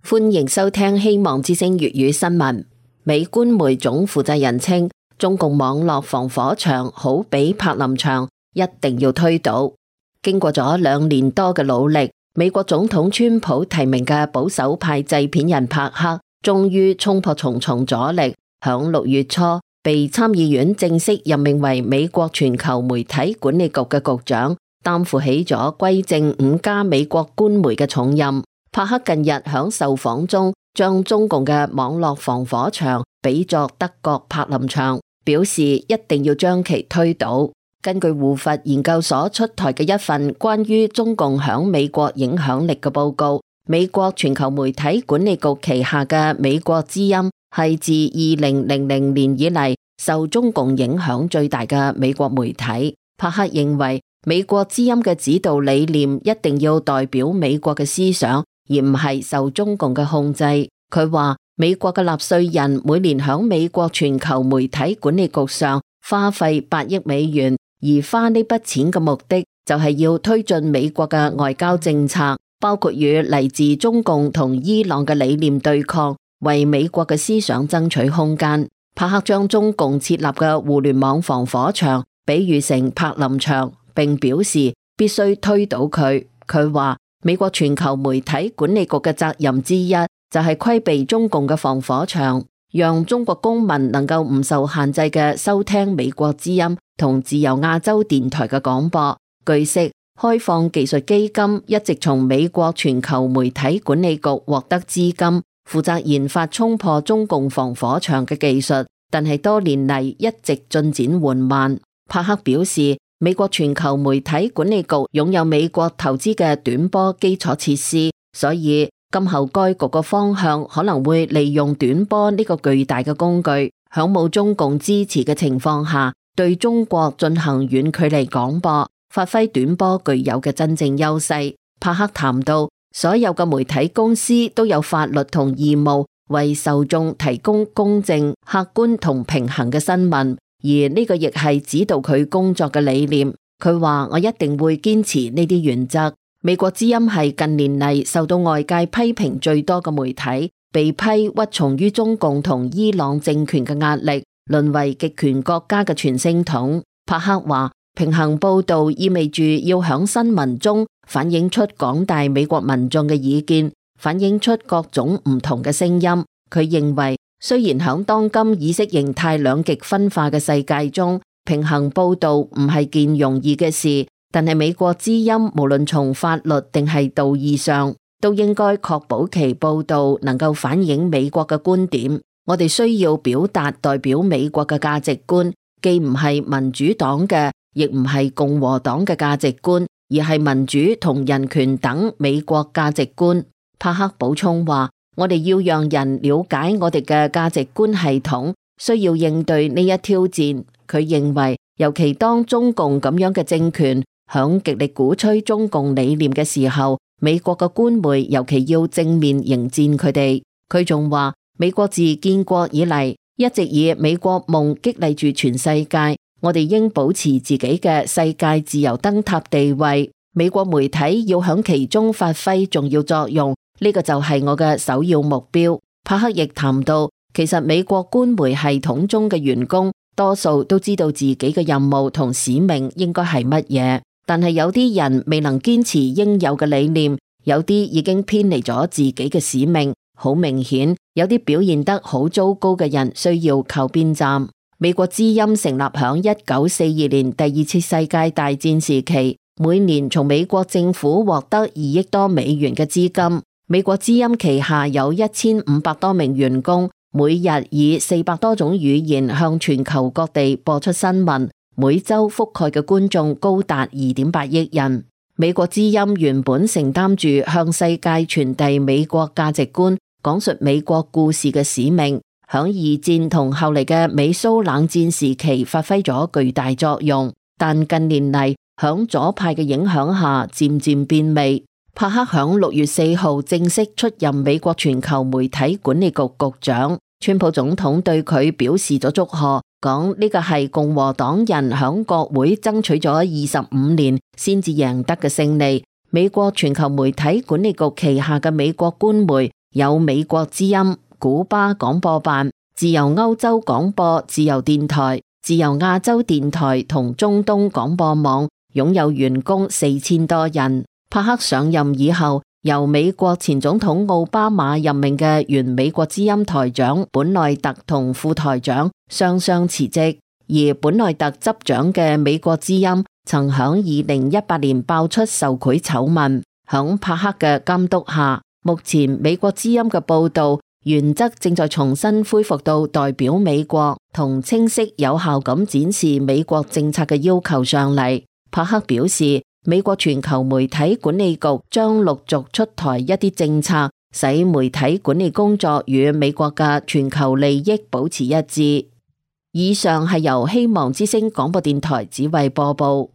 歡迎收聽希望之聲粵語新聞。美官媒總負責人稱，中共網絡防火牆好比柏林牆，一定要推倒。經過咗2年多嘅努力，美國總統川普提名嘅保守派製片人柏克，終於衝破重重阻力，響6月初被參議院正式任命為美國全球媒體管理局嘅局長，擔負起咗歸正5家美國官媒嘅重任。柏克近日響受訪中將中共嘅網絡防火牆比作德國柏林牆，表示一定要將其推倒。根據胡佛研究所出台嘅一份關於中共響美國影響力嘅報告，美國全球媒體管理局旗下嘅美國之音係自2000年以嚟受中共影響最大嘅美國媒體。柏克認為美國之音嘅指導理念一定要代表美國嘅思想，而唔係受中共嘅控制。佢話美國嘅納稅人每年響美國全球媒體管理局上花費8億美元，而花呢筆錢嘅目的就係要推進美國嘅外交政策，包括與嚟自中共同伊朗嘅理念對抗，為美國嘅思想爭取空間。柏克將中共設立嘅互聯網防火牆比喻成柏林牆，並表示必須推倒佢。佢話美國全球媒體管理局嘅責任之一就係規避中共嘅防火牆，讓中國公民能夠唔受限制嘅收聽美國之音同自由亞洲電台嘅廣播。據悉，開放技術基金一直從美國全球媒體管理局獲得資金，負責研發衝破中共防火牆嘅技術，但係多年嚟一直進展緩慢。柏克表示，美國全球媒體管理局擁有美國投資嘅短波基礎設施，所以今後該局嘅方向可能會利用短波呢個巨大嘅工具，響冇中共支持嘅情況下，對中國進行遠距離廣播，發揮短波具有嘅真正優勢。柏克談到，所有嘅媒體公司都有法律同義務為受眾提供公正、客觀同平衡嘅新聞。而呢個亦係指導佢工作嘅理念。佢話我一定會堅持呢啲原則。美國之音係近年嚟受到外界批評最多嘅媒體，被批屈從於中共同伊朗政權嘅壓力，淪為極權國家嘅傳聲筒。柏克話平衡報道意味住要響新聞中反映出廣大美國民眾嘅意見，反映出各種唔同嘅聲音。佢認為雖然響當今意識形態兩極分化嘅世界中，平衡報道唔係件容易嘅事，但係美國之音無論從法律定係道義上，都應該確保其報道能夠反映美國嘅觀點。我哋需要表達代表美國嘅價值觀，既唔係民主黨嘅，亦唔係共和黨嘅價值觀，而係民主同人權等美國價值觀。柏克補充話，我哋要讓人了解我哋嘅價值觀系統，需要應對呢一挑戰。佢認為，尤其當中共咁樣嘅政權響極力鼓吹中共理念嘅時候，美國嘅官媒尤其要正面迎戰佢哋。佢仲話，美國自建國以嚟一直以美國夢激勵住全世界，我哋應保持自己嘅世界自由燈塔地位，美國媒體要響其中發揮重要作用。呢個就係我嘅首要目標。柏克亦談到，其實美國官媒系統中嘅員工多數都知道自己嘅任務同使命應該係乜嘢，但係有啲人未能堅持應有嘅理念，有啲已經偏離咗自己嘅使命。好明顯，有啲表現得好糟糕嘅人需要靠邊站。美國之音成立響1942年第2次世界大戰時期，每年從美國政府獲得2億多美元嘅資金。美國之音旗下有1500多名員工，每日以400多種語言向全球各地播出新聞，每周覆蓋嘅觀眾高達2.8億人。美國之音原本承擔住向世界傳遞美國價值觀、講述美國故事嘅使命，響2戰同後嚟嘅美蘇冷戰時期發揮咗巨大作用，但近年嚟響左派嘅影響下漸漸變味。柏克響6月4號正式出任美國全球媒體管理局局長，川普總統對佢表示咗祝賀，講呢個係共和黨人響國會爭取咗25年先至贏得嘅勝利。美國全球媒體管理局旗下嘅美國官媒有美國之音、古巴廣播辦、自由歐洲廣播、自由電台、自由亞洲電台同中東廣播網，擁有員工4000多人。帕克上任以後，由美國前總統奧巴馬任命嘅原美國之音台長本內特同副台長雙雙辭職，而本內特執掌嘅美國之音曾響2018年爆出受賄醜聞。響帕克嘅監督下，目前美國之音嘅報道原則正在重新恢復到代表美國同清晰有效咁展示美國政策嘅要求上嚟。帕克表示，美國全球媒體管理局將陸續出台一啲政策，使媒體管理工作與美國嘅全球利益保持一致。以上係由希望之聲廣播電台指揮播報。